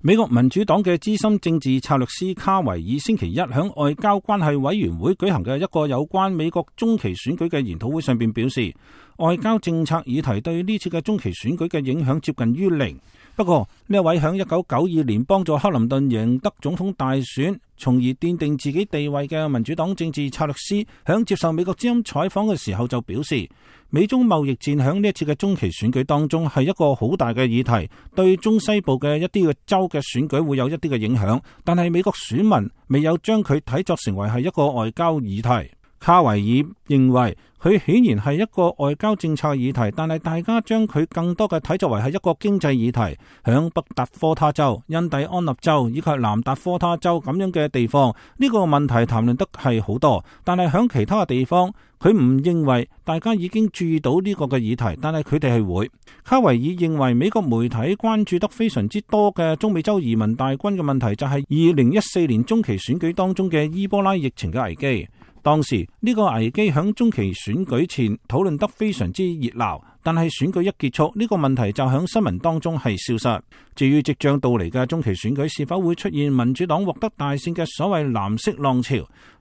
美國民主黨嘅資深政治策略師卡維爾星期一響外交關係委員會舉行嘅一個有關美國中期選舉嘅研討會上邊表示，外交政策議題對呢次嘅中期選舉嘅影響接近於零。不過呢一位響1992年幫助克林頓贏得總統大選，從而奠定自己地位嘅民主黨政治策略師，響接受美國之音採訪嘅時候就表示，美中貿易戰響呢一次嘅中期選舉當中係一個好大嘅議題，對中西部嘅一啲嘅州嘅選舉會有一啲嘅影響，但係美國選民未有將佢睇作成為係一個外交議題。卡維爾認為佢顯然係一個外交政策議題，但係大家將佢更多嘅睇作為係一個經濟議題。響北達科他州、印第安納州以及南達科他州咁樣嘅地方，呢個問題談論得係好多，但係響其他嘅地方，佢唔認為大家已經注意到呢個嘅議題，但係佢哋係會。卡維爾認為美國媒體關注得非常之多嘅中美洲移民大軍嘅問題，就係2014年中期選舉當中嘅伊波拉疫情嘅危機。當時呢個危機響中期選舉前討論得非常之熱鬧，但係選舉一結束，呢個問題就響新聞當中係消失。至於即將到嚟嘅中期選舉是否會出現民主黨獲得大勝嘅所謂藍色浪潮，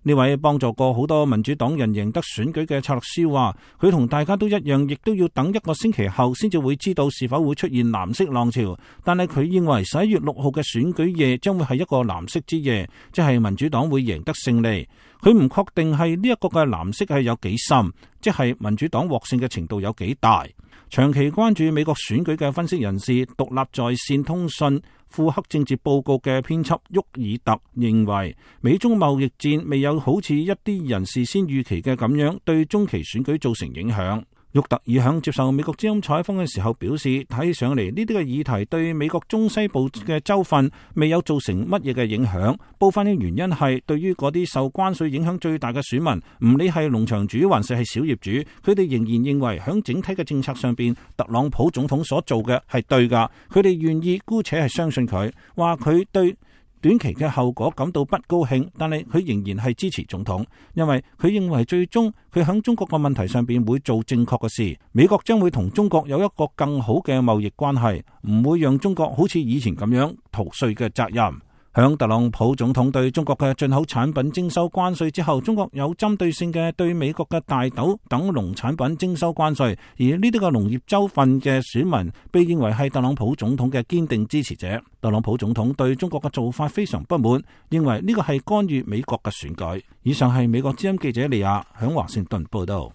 呢位幫助過好多民主黨人贏得選舉嘅策略師話，佢同大家都一樣，亦都要等一個星期後先至會知道是否會出現藍色浪潮。但係佢認為11月6號嘅選舉夜將會係一個藍色之夜，即係民主黨會贏得勝利。佢唔確定係呢一個嘅藍色係有幾深，即係民主黨獲勝嘅程度有幾大。長期關注美國選舉嘅分析人士、獨立在線通訊庫克政治報告嘅編輯沃爾特認為，美中貿易戰未有好似一啲人事先預期嘅咁樣對中期選舉造成影響。沃特爾響接受美國之音採訪嘅時候表示，睇上嚟呢啲嘅議題對美國中西部嘅州份未有造成乜嘢嘅影響。部分嘅原因係對於嗰啲受關稅影響最大嘅選民，唔理係農場主還是係小業主，佢哋仍然認為響整體嘅政策上邊，特朗普總統所做嘅係對噶。佢哋願意姑且係相信佢，話佢對短期嘅後果感到不高興，但係佢仍然係支持總統，因為佢認為最終佢響中國嘅問題上邊會做正確嘅事。美國將會同中國有一個更好嘅貿易關係，唔會讓中國好似以前咁樣逃稅嘅責任。響特朗普總統對中國嘅進口產品徵收關稅之後，中國有針對性嘅對美國嘅大豆等農產品徵收關稅，而呢啲嘅農業州份嘅選民被認為係特朗普總統嘅堅定支持者。特朗普總統對中國嘅做法非常不滿，認為呢個係干預美國嘅選舉。以上係美國之音記者利亞響華盛頓報道。